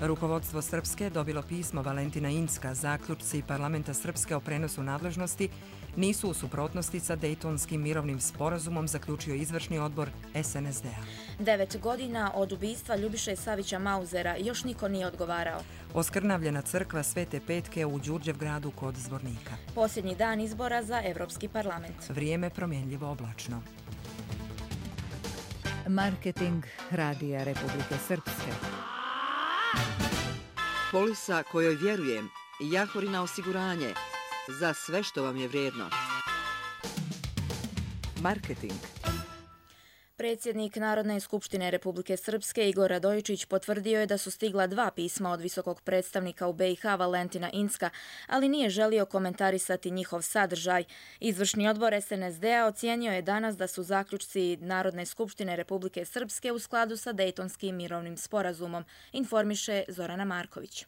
Rukovodstvo Srpske dobilo pismo Valentina Incka. Zaključci parlamenta Srpske o prenosu nadležnosti nisu u suprotnosti sa Dejtonskim mirovnim sporazumom, zaključio izvršni odbor SNSD-a. 9 godina od ubistva Ljubiše Savića Mauzera još niko nije odgovarao. Oskrnavljena crkva Svete Petke u Đurđevgradu kod Zvornika. Posljednji dan izbora za Evropski parlament. Vrijeme promjenljivo oblačno. Marketing Radija Republike Srpske. Polisa kojoj vjerujem, Jahorina osiguranje, za sve što vam je vrijedno. Marketing. Predsjednik Narodne skupštine Republike Srpske Igor Radojičić potvrdio je da su stigla 2 pisma od visokog predstavnika u BiH Valentina Incka, ali nije želio komentarisati njihov sadržaj. Izvršni odbor SNSD-a ocijenio je danas da su zaključci Narodne skupštine Republike Srpske u skladu sa Dejtonskim mirovnim sporazumom, informiše Zorana Marković.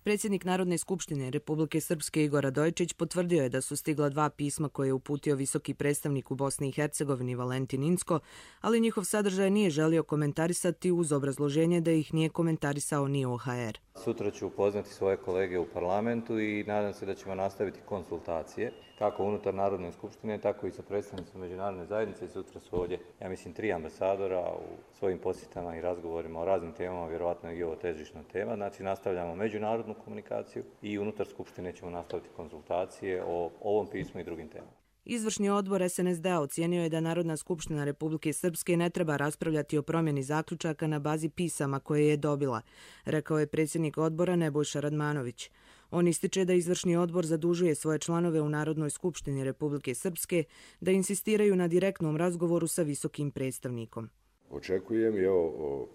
Predsjednik Narodne skupštine Republike Srpske Igor Radojičić potvrdio je da su stigla 2 pisma koje je uputio visoki predstavnik u Bosni i Hercegovini Valentin Incko, ali njihov sadržaj nije želio komentarisati uz obrazloženje da ih nije komentarisao ni OHR. Sutra ću upoznati svoje kolege u parlamentu i nadam se da ćemo nastaviti konsultacije, kako unutar Narodne skupštine, tako i sa predstavnicima međunarodne zajednice. Sutra su ovdje, ja mislim, 3 ambasadora u svojim posjetama i razgovorima o raznim temama, vjerovatno i ovo težišna tema. Znači, nastavljamo međunarodnu komunikaciju i unutar skupštine ćemo nastaviti konsultacije o ovom pismu i drugim temama. Izvršni odbor SNSD-a ocijenio je da Narodna skupština Republike Srpske ne treba raspravljati o promjeni zaključaka na bazi pisama koje je dobila, rekao je predsjednik odbora Nebojša Radmanović. On ističe da izvršni odbor zadužuje svoje članove u Narodnoj skupštini Republike Srpske da insistiraju na direktnom razgovoru sa visokim predstavnikom. Očekujem i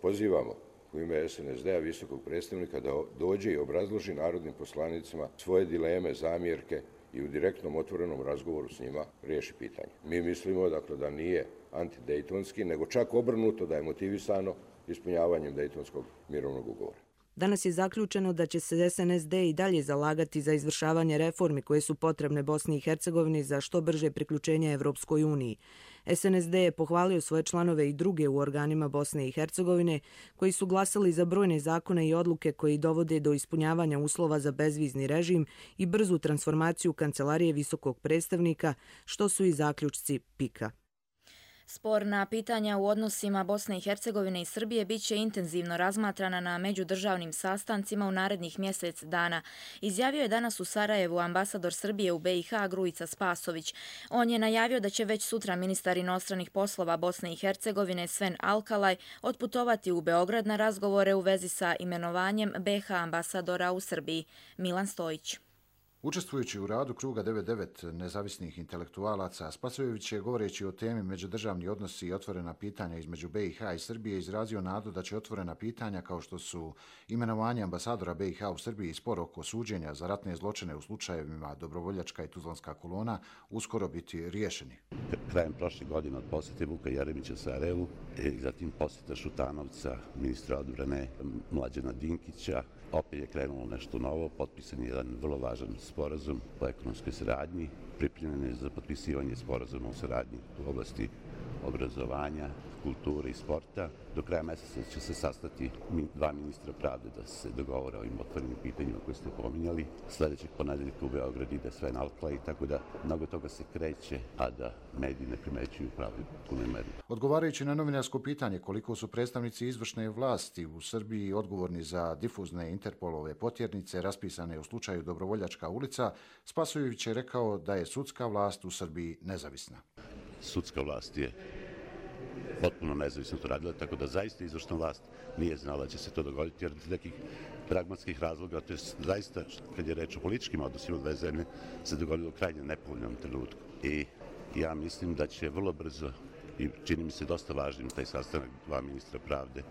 pozivamo u ime SNSD-a visokog predstavnika da dođe i obrazloži narodnim poslanicima svoje dileme, zamjerke i u direktnom otvorenom razgovoru s njima riješi pitanje. Mi mislimo dakle da nije antidejtonski, nego čak obrnuto, da je motivisano ispunjavanjem Dejtonskog mirovnog ugovora. Danas je zaključeno da će se SNSD i dalje zalagati za izvršavanje reformi koje su potrebne Bosni i Hercegovini za što brže priključenje Evropskoj uniji. SNSD je pohvalio svoje članove i druge u organima Bosne i Hercegovine koji su glasali za brojne zakone i odluke koji dovode do ispunjavanja uslova za bezvizni režim i brzu transformaciju Kancelarije visokog predstavnika, što su i zaključci PIK-a. Sporna pitanja u odnosima Bosne i Hercegovine i Srbije bit će intenzivno razmatrana na međudržavnim sastancima u narednih mjesec dana, izjavio je danas u Sarajevu ambasador Srbije u BiH Grujica Spasović. On je najavio da će već sutra ministar inostranih poslova Bosne i Hercegovine Sven Alkalaj otputovati u Beograd na razgovore u vezi sa imenovanjem BiH ambasadora u Srbiji. Milan Stojić. Učestvujući u radu kruga 99 nezavisnih intelektualaca, Spasojević je, govoreći o temi međudržavni odnosi i otvorena pitanja između BiH i Srbije, izrazio nadu da će otvorena pitanja kao što su imenovanje ambasadora BiH u Srbiji i spor oko suđenja za ratne zločine u slučajevima Dobrovoljačka i Tuzlanska kolona uskoro biti riješeni. Krajem prošle godine od posjete Vuka Jeremića Sarajevu i zatim posjeta Šutanovca, ministra odbrane Mlađana Dinkića, opet je krenulo nešto novo, potpisan je jedan vrlo važan sporazum o ekonomskoj saradnji, pripremljen je za potpisivanje sporazuma o saradnji u oblasti obrazovanja, kulture i sporta. Do kraja mjeseca će se sastati 2 ministra pravde da se dogovore o ovim otvorenim pitanjima koje ste pominjali. Sljedećeg ponedeljka u Beograd ide Sven Alkalaj, tako da mnogo toga se kreće, a da mediji ne primećuju pravu punoj meri. Odgovarajući na novinarsko pitanje koliko su predstavnici izvršne vlasti u Srbiji odgovorni za difuzne Interpolove potjernice raspisane u slučaju Dobrovoljačka ulica, Spasojević je rekao da je sudska vlast u Srbiji nezavisna. Sudska vlast je potpuno nezavisno to radila, tako da zaista izvršna vlast nije znala da će se to dogoditi, jer iz nekih pragmatskih razloga, to je zaista, kad je reč o političkim odnosima dve zemlje, se dogodilo u krajnje nepovoljnom trenutku. I ja mislim da će vrlo brzo, i čini mi se dosta važnim taj sastanak 2 ministra pravde,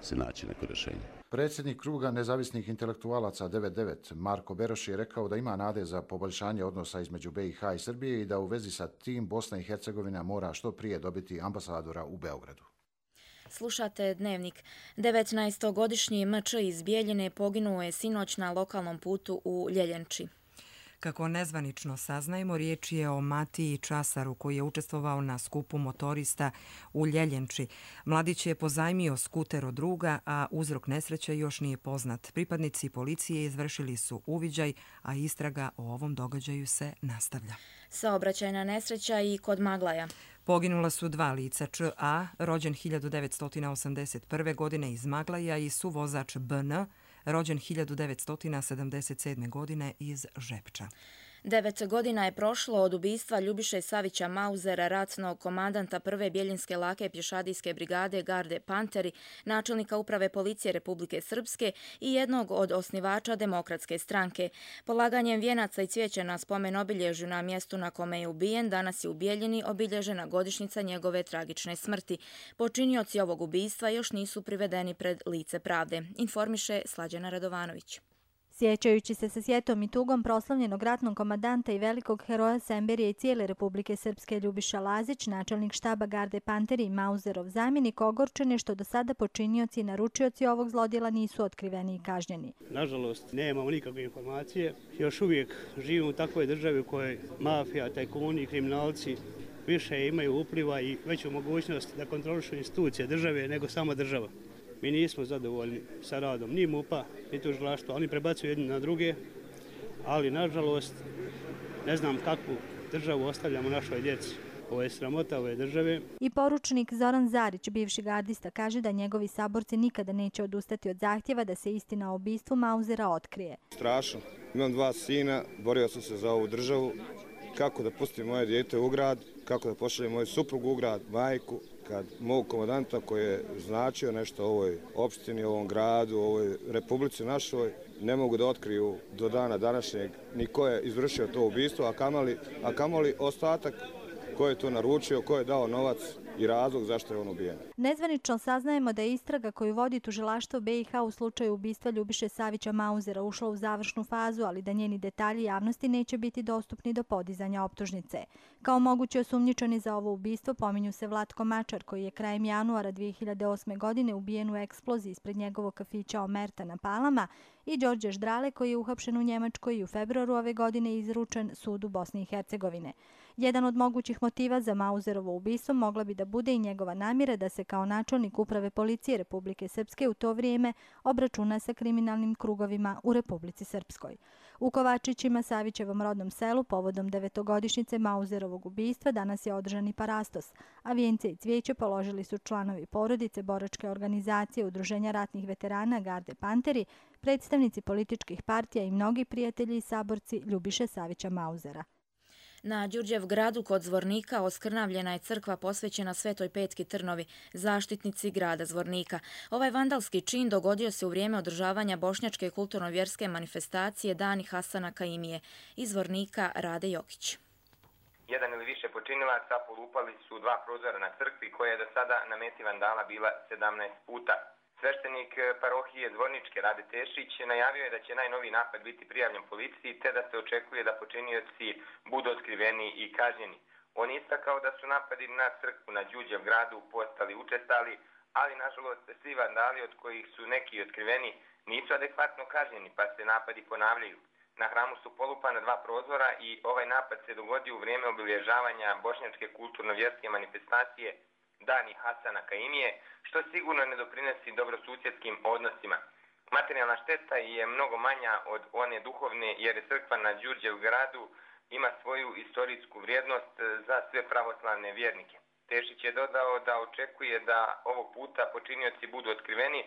se naći neko rješenje. Predsjednik kruga nezavisnih intelektualaca 99 Marko Beroš je rekao da ima nade za poboljšanje odnosa između BiH i Srbije i da u vezi sa tim Bosna i Hercegovina mora što prije dobiti ambasadora u Beogradu. Slušate Dnevnik. 19-godišnji M.Č. iz Bijeljine poginuo je sinoć na lokalnom putu u Ljeljenči. Kako nezvanično saznajemo, riječ je o Matiji Časaru koji je učestvovao na skupu motorista u Ljeljenči. Mladić je pozajmio skuter od druga, a uzrok nesreće još nije poznat. Pripadnici policije izvršili su uviđaj, a istraga o ovom događaju se nastavlja. Saobraćajna nesreća i kod Maglaja. Poginula su dva lica, Č.A., rođen 1981. godine iz Maglaja, i suvozač B.N., rođen 1977. godine iz Žepča. 9 godina je prošlo od ubistva Ljubiše Savića Mauzera, ratnog komandanta prve Bjeljinske lake pješadijske brigade Garde Panteri, načelnika uprave policije Republike Srpske i jednog od osnivača Demokratske stranke. Polaganjem vijenaca i cvijeća na spomen obilježju na mjestu na kome je ubijen, danas je u Bjeljini obilježena godišnjica njegove tragične smrti. Počinioci ovog ubistva još nisu privedeni pred lice pravde, informiše Slađana Radovanović. Sjećajući se sa sjetom i tugom proslavljenog ratnog komandanta i velikog heroja Semberije i cijele Republike Srpske Ljubiša Lazić, načelnik štaba Garde Panteri i Mauzerov zamjenik, ogorčen je što do sada počinioci i naručioci ovog zlodjela nisu otkriveni i kažnjeni. Nažalost, nemamo nikakve informacije. Još uvijek živimo u takvoj državi u kojoj mafija, tajkuni i kriminalci više imaju upliva i veću mogućnost da kontrolišu institucije države nego sama država. Mi nismo zadovoljni sa radom ni MUP-a, ni tužilaštva, oni prebacuju jedni na druge, ali nažalost ne znam kakvu državu ostavljamo našoj djeci. Ovo je sramota ove države. I poručnik Zoran Zarić, bivši gardista, kaže da njegovi saborci nikada neće odustati od zahtjeva da se istina o ubistvu Mauzera otkrije. Strašno. Imam 2 sina, borio sam se za ovu državu. Kako da pustim moje dijete u grad, kako da pošaljem moju suprugu u grad, majku, kad mog komandanta koji je značio nešto ovoj opštini, ovom gradu, ovoj republici našoj, ne mogu da otkriju do dana današnjeg ni ko je izvršio to ubistvo, a kamoli ostatak ko je to naručio, ko je dao novac i razlog zašto je on ubijen. Nezvanično saznajemo da je istraga koju vodi tužilaštvo BiH u slučaju ubistva Ljubiše Savića Mauzera ušla u završnu fazu, ali da njeni detalji javnosti neće biti dostupni do podizanja optužnice. Kao mogući osumnjičeni za ovo ubistvo pominju se Vlatko Mačar, koji je krajem januara 2008. godine ubijen u eksploziji ispred njegovog kafića Omerta na Palama, i Đorđe Ždrale, koji je uhapšen u Njemačkoj i u februaru ove godine izručen sudu Bosne i Hercegovine. Jedan od mogućih motiva za Mauzerovo ubistvo mogla bi da bude i njegova namjera da se kao načelnik uprave policije Republike Srpske u to vrijeme obračuna sa kriminalnim krugovima u Republici Srpskoj. U Kovačićima, Savićevom rodnom selu, povodom 9-godišnjice Mauzerovog ubistva danas je održan i parastos, a vijence i cvijeće položili su članovi porodice, boračke organizacije, udruženja ratnih veterana Garde Panteri, predstavnici političkih partija i mnogi prijatelji i saborci Ljubiše Savića Mauzera. Na Đurđevgradu kod Zvornika oskrnavljena je crkva posvećena Svetoj Petki Trnovi, zaštitnici grada Zvornika. Ovaj vandalski čin dogodio se u vrijeme održavanja bošnjačke kulturno-vjerske manifestacije Dani Hasana Kaimije. Iz Zvornika Rade Jokić. Jedan ili više počinilaca polupali su 2 prozora na crkvi koja je do sada na meti vandala bila 17 puta. Sveštenik parohije Zvorničke Rade Tešić najavio je da će najnoviji napad biti prijavljen policiji te da se očekuje da počinioci budu otkriveni i kažnjeni. On je istakao da su napadi na crkvu na Đurđevgradu postali učestali, ali nažalost svi vandali od kojih su neki otkriveni nisu adekvatno kažnjeni pa se napadi ponavljaju. Na hramu su polupana 2 prozora i ovaj napad se dogodio u vrijeme obilježavanja bošnjačke kulturno-vjerske manifestacije Dani Hasana Kaimije, što sigurno ne doprinosi dobrosusjedskim odnosima. Materijalna šteta je mnogo manja od one duhovne jer je crkva na Đurđevgradu ima svoju istorijsku vrijednost za sve pravoslavne vjernike. Tešić je dodao da očekuje da ovog puta počinioci budu otkriveni,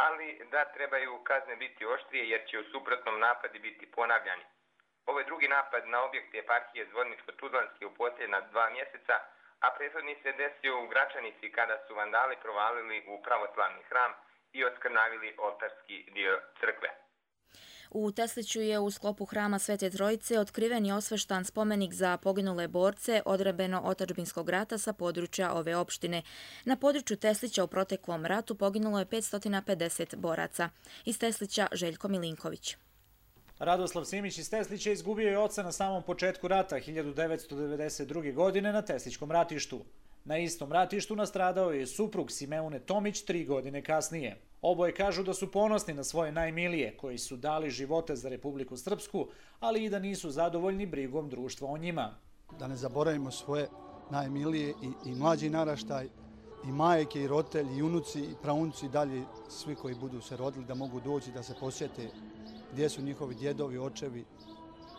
ali da trebaju kazne biti oštrije jer će u suprotnom napadi biti ponavljani. Ovo je drugi napad na objekte eparhije Zvorničko-Tuzlanske u posljednja 2 mjeseca, a prethodni se desio u Gračanici kada su vandali provalili u pravoslavni hram i oskrnavili oltarski dio crkve. U Tesliću je u sklopu hrama Svete Trojice otkriven i osveštan spomenik za poginule borce odbrambeno-otadžbinskog rata sa područja ove opštine. Na području Teslića u proteklom ratu poginulo je 550 boraca. Iz Teslića Željko Milinković. Radoslav Simić iz Teslića izgubio je oca na samom početku rata 1992. godine na Teslićkom ratištu. Na istom ratištu nastradao je suprug Simeone Tomić 3 godine kasnije. Oboje kažu da su ponosni na svoje najmilije, koji su dali živote za Republiku Srpsku, ali i da nisu zadovoljni brigom društva o njima. Da ne zaboravimo svoje najmilije i mlađi naraštaj, i majke, i roditelji, i unuci, i praunuci, i dalje svi koji budu se rodili da mogu doći da se posjete gdje su njihovi djedovi, očevi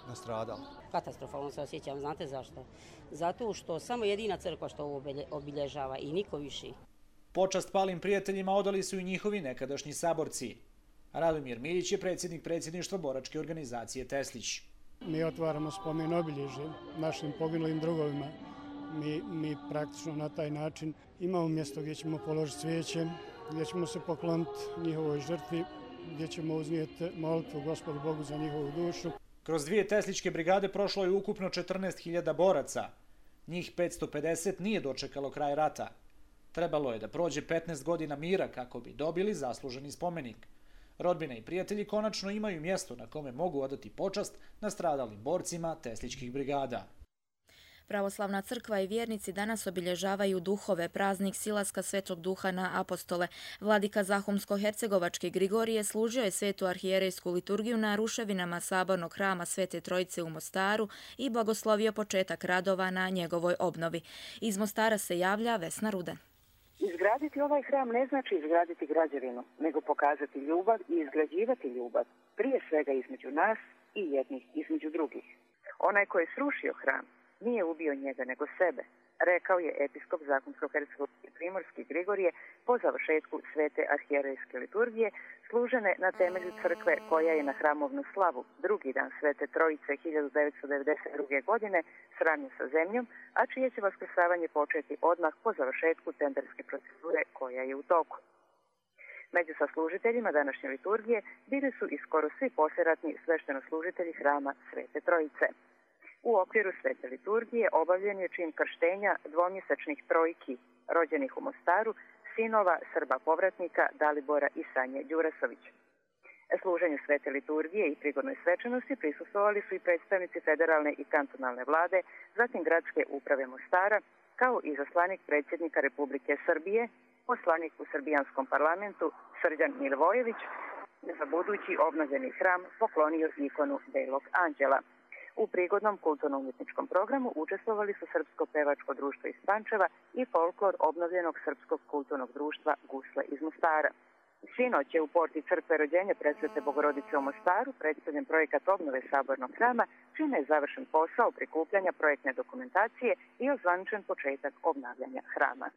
nastradali. Katastrofalno se osjećam, znate zašto? Zato što samo jedina crkva što ovo obilježava i niko više. Počast palim prijateljima odali su i njihovi nekadašnji saborci. Radomir Miljić je predsjednik predsjedništva boračke organizacije Teslić. Mi otvaramo spomen obilježje našim poginulim drugovima. Mi praktično na taj način imamo mjesto gdje ćemo položiti cvijeće, gdje ćemo se pokloniti njihovoj žrtvi, gdje ćemo uznijeti molitvu Gospodu Bogu za njihovu dušu. Kroz 2 tesličke brigade prošlo je ukupno 14.000 boraca. Njih 550 nije dočekalo kraj rata. Trebalo je da prođe 15 godina mira kako bi dobili zasluženi spomenik. Rodbina i prijatelji konačno imaju mjesto na kome mogu odati počast nastradalim borcima tesličkih brigada. Pravoslavna crkva i vjernici danas obilježavaju duhove, praznik silaska Svetog Duha na apostole. Vladika Zahumsko-hercegovački Grigorije služio je svetu arhijerejsku liturgiju na ruševinama sabornog hrama Svete Trojice u Mostaru i blagoslovio početak radova na njegovoj obnovi. Iz Mostara se javlja Vesna Rudan. Izgraditi ovaj hram ne znači izgraditi građevinu, nego pokazati ljubav i izgrađivati ljubav, prije svega između nas i jednih između drugih. Onaj ko je srušio hram nije ubio njega nego sebe, rekao je episkop Zahumsko-hercegovački Primorski Grigorije po završetku svete arhijerejske liturgije, služene na temelju crkve koja je na hramovnu slavu drugi dan Svete Trojice 1992. godine sravnjen sa zemljom, a čije će vaskrsavanje početi odmah po završetku tenderske procedure koja je u toku. Među saslužiteljima današnje liturgije bili su i skoro svi poslijeratni sveštenoslужitelji hrama Svete Trojice. U okviru svete liturgije obavljen je čin krštenja dvomjesečnih trojki rođenih u Mostaru, sinova Srba povratnika Dalibora i Sanje Đurasović. Služenju svete liturgije i prigodnoj svečanosti prisustvovali su i predstavnici federalne i kantonalne vlade, zatim gradske uprave Mostara, kao i zaslanik predsjednika Republike Srbije, poslanik u srbijanskom parlamentu Srđan Milivojević, za budući obnovljeni hram poklonio ikonu Belog anđela. U prigodnom kulturno-umjetničkom programu učestvovali su Srpsko pevačko društvo iz Pančeva i folklor obnovljenog Srpskog kulturnog društva Gusle iz Mostara. Sinoć je u porti crkve rođenja Presvete Bogorodice u Mostaru predstavljen projekat obnove sabornog hrama, čime je završen posao prikupljanja projektne dokumentacije i ozvaničen početak obnavljanja hrama.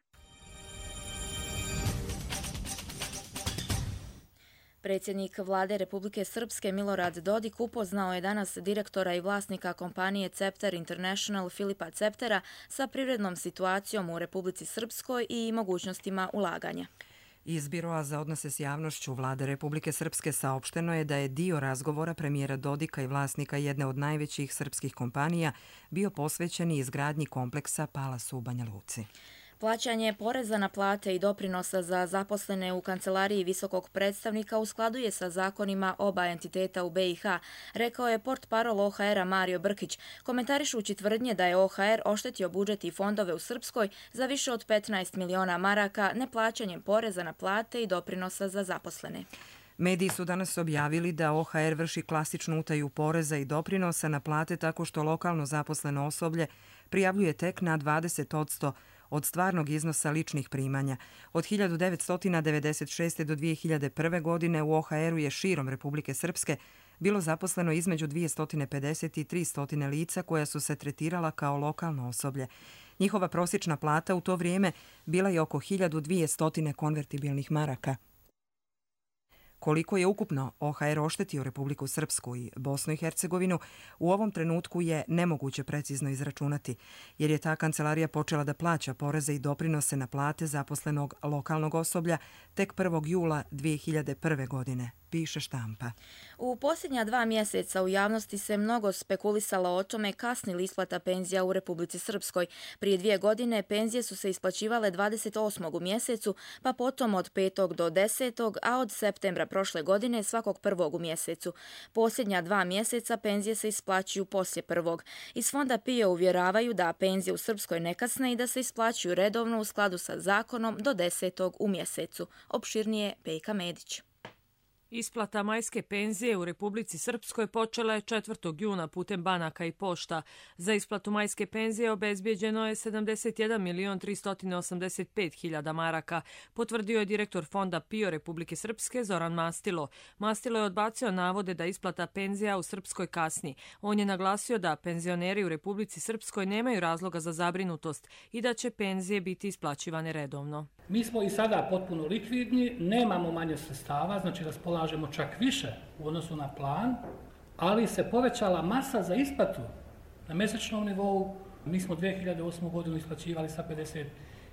Predsjednik vlade Republike Srpske Milorad Dodik upoznao je danas direktora i vlasnika kompanije Cepter International Filipa Ceptera sa privrednom situacijom u Republici Srpskoj i mogućnostima ulaganja. Iz Biroa za odnose s javnošću vlade Republike Srpske saopšteno je da je dio razgovora premijera Dodika i vlasnika jedne od najvećih srpskih kompanija bio posvećen izgradnji kompleksa Palas u Banja Luci. Plaćanje poreza na plate i doprinosa za zaposlene u kancelariji visokog predstavnika u skladu je sa zakonima oba entiteta u BiH, rekao je portparol OHR-a Mario Brkić, komentarišući tvrdnje da je OHR oštetio budžet i fondove u Srpskoj za više od 15 miliona maraka neplaćanjem poreza na plate i doprinosa za zaposlene. Mediji su danas objavili da OHR vrši klasičnu utaju poreza i doprinosa na plate tako što lokalno zaposleno osoblje prijavljuje tek na 20% od stvarnog iznosa ličnih primanja. Od 1996. do 2001. godine u OHR-u je širom Republike Srpske bilo zaposleno između 250 i 300 lica koja su se tretirala kao lokalno osoblje. Njihova prosječna plata u to vrijeme bila je oko 1200 konvertibilnih maraka. Koliko je ukupno OHR oštetio Republiku Srpsku i Bosnu i Hercegovinu, u ovom trenutku je nemoguće precizno izračunati, jer je ta kancelarija počela da plaća poreze i doprinose na plate zaposlenog lokalnog osoblja tek 1. jula 2001. godine, piše Štampa. U posljednja 2 mjeseca u javnosti se mnogo spekulisalo o tome kasni li isplata penzija u Republici Srpskoj. Prije 2 godine penzije su se isplaćivale 28. u mjesecu, pa potom od 5. do 10. a od septembra prošle godine svakog prvog u mjesecu. Posljednja 2 mjeseca penzije se isplaćuju poslije prvog. Iz fonda PIO uvjeravaju da penzije u Srpskoj ne kasne i da se isplaćuju redovno u skladu sa zakonom do 10. u mjesecu. Opširnije Pejka Medić. Isplata majske penzije u Republici Srpskoj počela je 4. juna putem banaka i pošta. Za isplatu majske penzije obezbijeđeno je 71.385.000 maraka, potvrdio je direktor fonda PIO Republike Srpske Zoran Mastilo. Mastilo je odbacio navode da isplata penzija u Srpskoj kasni. On je naglasio da penzioneri u Republici Srpskoj nemaju razloga za zabrinutost i da će penzije biti isplaćivane redovno. Mi smo i sada potpuno likvidni, nemamo manje sredstava, znači raspolažemo čak više u odnosu na plan, ali se povećala masa za isplatu na mjesečnom nivou. Mi smo 2008. godinu isplaćivali sa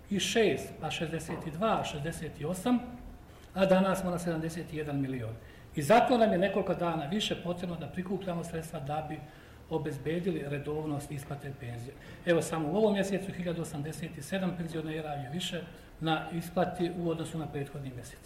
56, pa 62, 68, a danas smo na 71 milion. I zato nam je nekoliko dana više potrebno da prikupljamo sredstva da bi obezbedili redovnost isplate penzije. Evo samo u ovom mjesecu 1087 penzionera je više na isplati u odnosu na prethodni mjesec.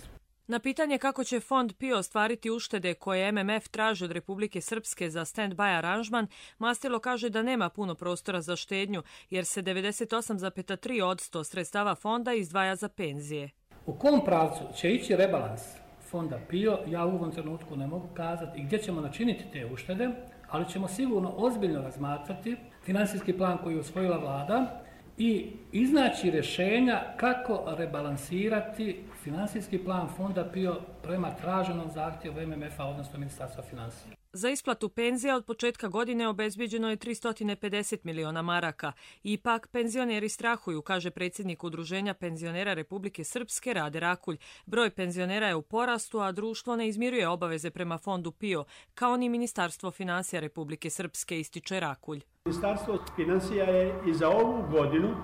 Na pitanje kako će fond PIO ostvariti uštede koje MMF traži od Republike Srpske za stand-by aranžman, Mastilo kaže da nema puno prostora za štednju, jer se 98,3% sredstava fonda izdvaja za penzije. U kom pravcu će ići rebalans fonda PIO, ja u ovom trenutku ne mogu kazati i gdje ćemo načiniti te uštede, ali ćemo sigurno ozbiljno razmatrati finansijski plan koji je usvojila vlada i iznaći rješenja kako rebalansirati finansijski plan fonda PIO prema traženom zahtjevu MMF-a, odnosno Ministarstva financija. Za isplatu penzija od početka godine obezbijeđeno je 350 miliona maraka. Ipak penzioneri strahuju, kaže predsjednik Udruženja penzionera Republike Srpske Rade Rakulj. Broj penzionera je u porastu, a društvo ne izmiruje obaveze prema fondu PIO, kao ni Ministarstvo financija Republike Srpske, ističe Rakulj. Ministarstvo financija je i za ovu godinu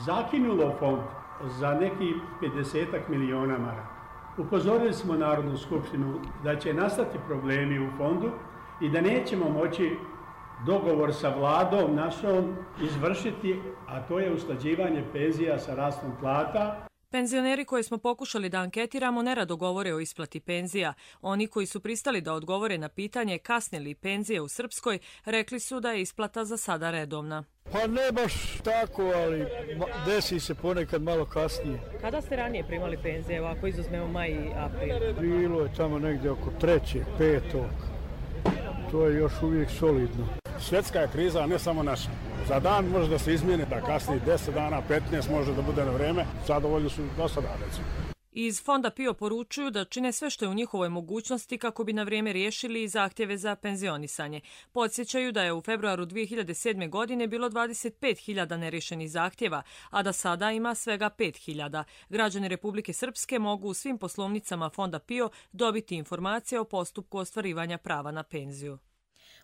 zakinulo fond za neki 50 miliona maraka. Upozorili smo Narodnu skupštinu da će nastati problemi u fondu i da nećemo moći dogovor sa vladom našom izvršiti, a to je usklađivanje penzija sa rastom plata. Penzioneri koje smo pokušali da anketiramo nerado govore o isplati penzija. Oni koji su pristali da odgovore na pitanje kasne li penzije u Srpskoj, rekli su da je isplata za sada redovna. Pa ne baš tako, ali desi se ponekad malo kasnije. Kada ste ranije primali penzije, ako izuzmemo maj i april? Bilo je tamo negdje oko 3., 5. To je još uvijek solidno. Svjetska je kriza, a ne samo naša. Za dan može da se izmijeni, da kasni 10 dana, 15 može da bude na vreme. Zadovoljni su do sada, recimo. Iz fonda PIO poručuju da čine sve što je u njihovoj mogućnosti kako bi na vrijeme riješili i zahtjeve za penzionisanje. Podsjećaju da je u februaru 2007. godine bilo 25.000 nerješenih zahtjeva, a da sada ima svega 5.000. Građani Republike Srpske mogu u svim poslovnicama fonda PIO dobiti informacije o postupku ostvarivanja prava na penziju.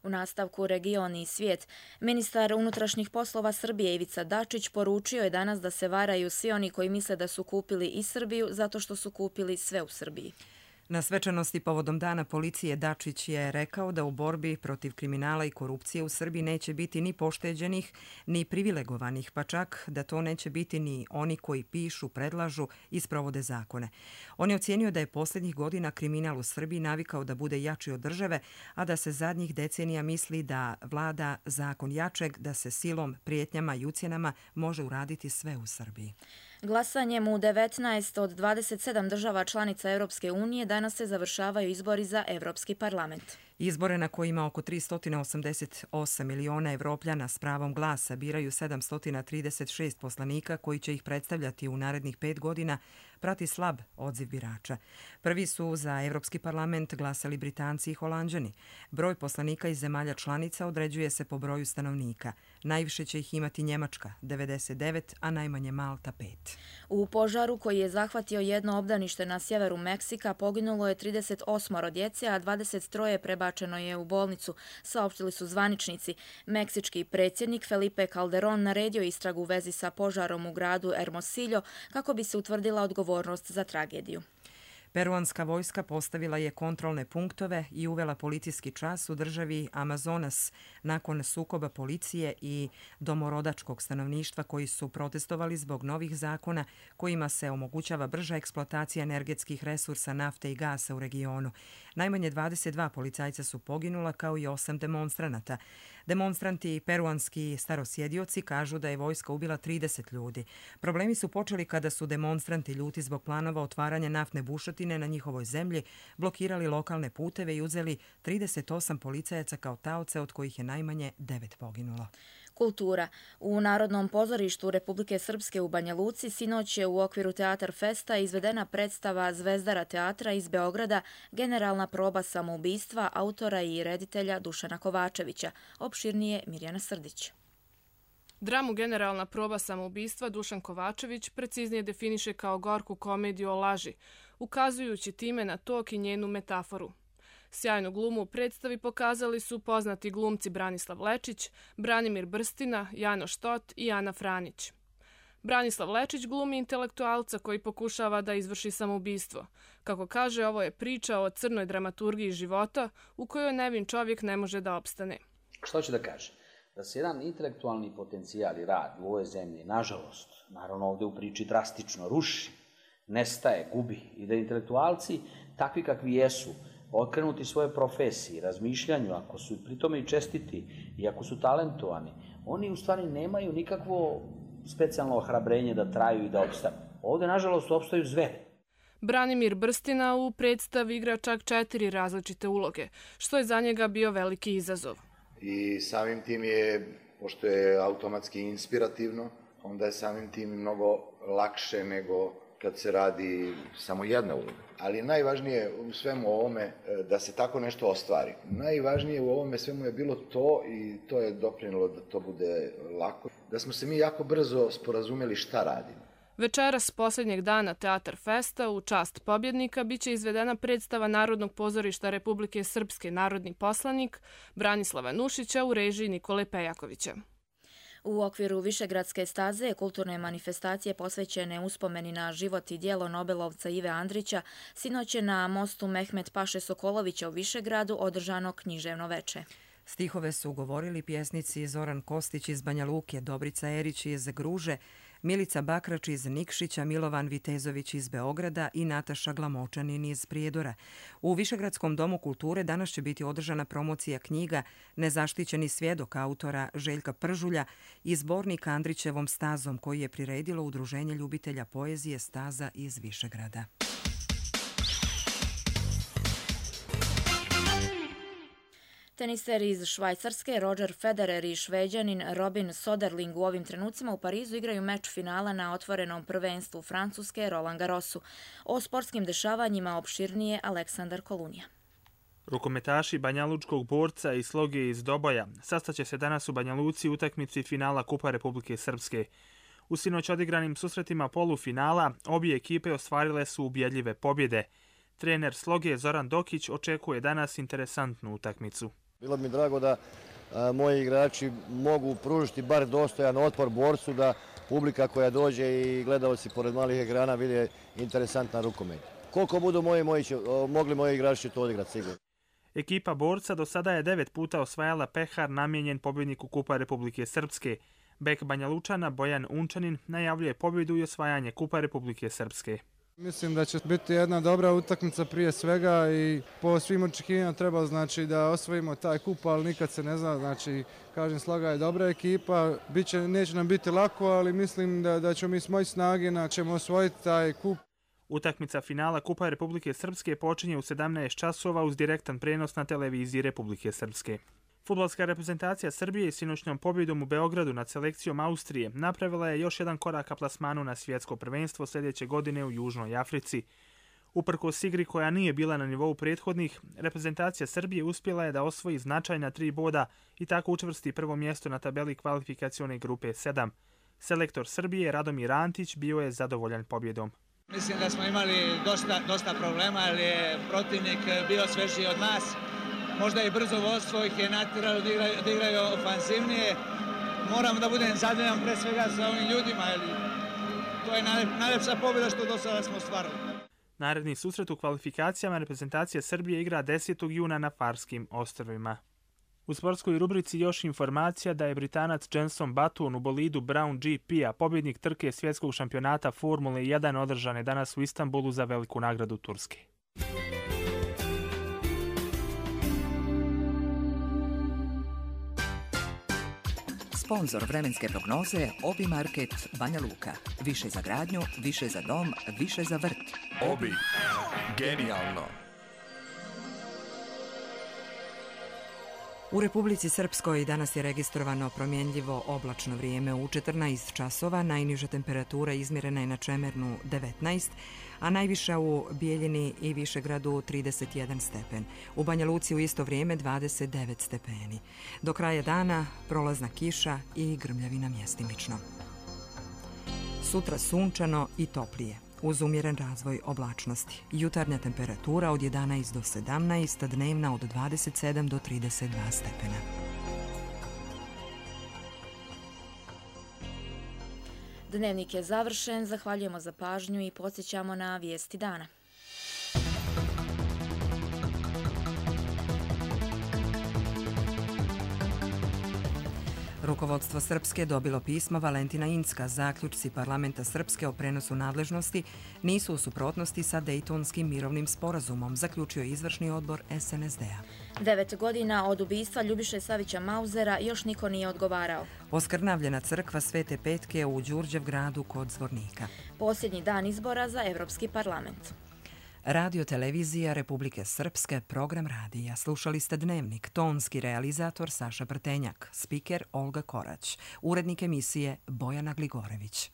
U nastavku region i svijet, ministar unutrašnjih poslova Srbije Ivica Dačić poručio je danas da se varaju svi oni koji misle da su kupili i Srbiju zato što su kupili sve u Srbiji. Na svečanosti povodom Dana policije Dačić je rekao da u borbi protiv kriminala i korupcije u Srbiji neće biti ni pošteđenih, ni privilegovanih, pa čak da to neće biti ni oni koji pišu, predlažu i sprovode zakone. On je ocijenio da je posljednjih godina kriminal u Srbiji navikao da bude jači od države, a da se zadnjih decenija misli da vlada zakon jačeg, da se silom, prijetnjama i ucjenama može uraditi sve u Srbiji. Glasanjem u 19 od 27 država članica Europske unije danas se završavaju izbori za Europski parlament. Izbore na kojima oko 388 miliona Evropljana s pravom glasa biraju 736 poslanika koji će ih predstavljati u narednih 5 godina prati slab odziv birača. Prvi su za Evropski parlament glasali Britanci i Holanđani. Broj poslanika iz zemalja članica određuje se po broju stanovnika. Najviše će ih imati Njemačka, 99, a najmanje Malta, 5. U požaru koji je zahvatio jedno obdanište na sjeveru Meksika poginulo je 38 djece, a 23 prebačeno je u bolnicu, saopštili su zvaničnici. Meksički predsjednik Felipe Calderón naredio istragu u vezi sa požarom u gradu Hermosillo kako bi se utvrdila odgovornost za tragediju. Peruanska vojska postavila je kontrolne punktove i uvela policijski čas u državi Amazonas nakon sukoba policije i domorodačkog stanovništva koji su protestovali zbog novih zakona kojima se omogućava brža eksploatacija energetskih resursa nafte i gasa u regionu. Najmanje 22 policajca su poginula kao i 8 demonstranata. Demonstranti i peruanski starosjedioci kažu da je vojska ubila 30 ljudi. Problemi su počeli kada su demonstranti ljuti zbog planova otvaranja naftne bušotine na njihovoj zemlji, blokirali lokalne puteve i uzeli 38 policajaca kao taoce, od kojih je najmanje 9 poginulo. Kultura. U Narodnom pozorištu Republike Srpske u Banja Luci sinoć je u okviru Teatar Festa izvedena predstava Zvezdara teatra iz Beograda Generalna proba samoubistva autora i reditelja Dušana Kovačevića. Opširnije Mirjana Srdić. Dramu Generalna proba samoubistva Dušan Kovačević preciznije definiše kao gorku komediju o laži, ukazujući time na tok i njenu metaforu. Sjajnu glumu u predstavi pokazali su poznati glumci Branislav Lečić, Branimir Brstina, Jano Štot i Ana Franić. Branislav Lečić glumi intelektualca koji pokušava da izvrši samoubistvo. Kako kaže, ovo je priča o crnoj dramaturgiji života u kojoj nevin čovjek ne može da opstane. Što hoće da kaže? Da se jedan intelektualni potencijal i rad u ovoj zemlji, nažalost, naravno ovdje u priči drastično ruši, nestaje, gubi i da intelektualci, takvi kakvi jesu, okrenuti svoje profesiji, razmišljanju, ako su pri tome i čestiti i ako su talentovani, oni u stvari nemaju nikakvo specijalno ohrabrenje da traju i da opstanu. Ovdje, nažalost, opstaju zveri. Branimir Brstina u predstavi igra čak 4 različite uloge, što je za njega bio veliki izazov. I samim tim je, pošto je automatski inspirativno, onda je samim tim mnogo lakše nego kad se radi samo jedna uloga. Ali najvažnije u svemu ovome da se tako nešto ostvari. Najvažnije u ovome svemu je bilo to, i to je doprinjelo da to bude lako, da smo se mi jako brzo sporazumjeli šta radimo. Večeras posljednjeg dana Teatar Festa u čast pobjednika biće izvedena predstava Narodnog pozorišta Republike Srpske Narodni poslanik Branislava Nušića u režiji Nikole Pejakovića. U okviru Višegradske staze kulturne manifestacije posvećene uspomeni na život i djelo Nobelovca Ive Andrića sinoć je na mostu Mehmet Paše Sokolovića u Višegradu održano književno veče. Stihove su govorili pjesnici Zoran Kostić iz Banja Luke, Dobrica Erić iz Gruže, Milica Bakrač iz Nikšića, Milovan Vitezović iz Beograda i Nataša Glamočanin iz Prijedora. U Višegradskom domu kulture danas će biti održana promocija knjiga Nezaštićeni svjedok autora Željka Pržulja i zbornika Andrićevom stazom koji je priredilo Udruženje ljubitelja poezije Staza iz Višegrada. Teniser iz Švajcarske Roger Federer i Šveđanin Robin Soderling u ovim trenucima u Parizu igraju meč finala na otvorenom prvenstvu Francuske Roland Garrosu. O sportskim dešavanjima opširnije Aleksandar Kolunija. Rukometaši Banjalučkog Borca i Sloge iz Doboja sastaće se danas u Banja Luci u utakmici finala Kupa Republike Srpske. U sinoć odigranim susretima polufinala obje ekipe ostvarile su ubjedljive pobjede. Trener Sloge Zoran Dokić očekuje danas interesantnu utakmicu. Bilo mi drago da moji igrači mogu pružiti bar dostojan otpor Borcu, da publika koja dođe i gledalci pored malih ekrana vide interesantan rukomet. Koliko budu mogli moji igrači to odigrati sigurno. Ekipa Borca do sada je 9 puta osvajala pehar namijenjen pobjedniku Kupa Republike Srpske. Bek Banja Lučana Bojan Unčanin najavljuje pobjedu i osvajanje Kupa Republike Srpske. Mislim da će biti jedna dobra utakmica prije svega i po svim očekivanjima treba da osvojimo taj kup, ali nikad se ne zna. Kažem, Sloga je dobra ekipa, neće nam biti lako, ali mislim da ćemo mi s moje snage ćemo osvojiti taj kup. Utakmica finala Kupa Republike Srpske počinje u 17 časova uz direktan prenos na televiziji Republike Srpske. Fudbalska reprezentacija Srbije sinoćnom pobjedom u Beogradu nad selekcijom Austrije napravila je još jedan korak ka plasmanu na svjetsko prvenstvo sljedeće godine u Južnoj Africi. Uprkos igri koja nije bila na nivou prethodnih, reprezentacija Srbije uspjela je da osvoji značajna 3 boda i tako učvrsti prvo mjesto na tabeli kvalifikacione grupe 7. Selektor Srbije Radomir Antić bio je zadovoljan pobjedom. Mislim da smo imali dosta problema, ali je protivnik bio svežiji od nas. Možda i brzo vodstvo ih je natjeralo da igraju ofanzivnije. Moram da budem zadovoljan pre svega sa ovim ljudima, jer to je najlepša pobjeda što do sada smo ostvarili. Naredni susret u kvalifikacijama reprezentacija Srbije igra 10. juna na Farskim ostrvima. U sportskoj rubrici još informacija da je Britanac Jenson Button u bolidu Brown GP-a pobjednik trke svjetskog šampionata Formule 1 održane danas u Istanbulu za veliku nagradu Turske. Sponzor vremenske prognoze Obi Market Banja Luka. Više za gradnju, više za dom, više za vrt. Obi. Genijalno. U Republici Srpskoj danas je registrovano promjenljivo oblačno vrijeme u 14 časova. Najniža temperatura izmjerena je na Čemernu 19, a najviša u Bijeljini i Višegradu 31 stepen. U Banja Luci u isto vrijeme 29 stepeni. Do kraja dana prolazna kiša i grmljavina mjestimično. Sutra sunčano i toplije, uz umjeren razvoj oblačnosti. Jutarnja temperatura od 11 do 17, dnevna od 27 do 32 stepena. Dnevnik je završen, zahvaljujemo za pažnju i podsjećamo na vijesti dana. Rukovodstvo Srpske dobilo pismo Valentina Incka. Zaključci parlamenta Srpske o prenosu nadležnosti nisu u suprotnosti sa Dejtonskim mirovnim sporazumom, zaključio izvršni odbor SNSD-a. 9 godina od ubistva Ljubiše Savića Mauzera još niko nije odgovarao. Oskrnavljena crkva Svete Petke u Đurđevgradu kod Zvornika. Posljednji dan izbora za Evropski parlament. Radio televizija Republike Srpske, program radija. Slušali ste Dnevnik, tonski realizator Saša Brtenjak, spiker Olga Korać, urednik emisije Bojana Gligorević.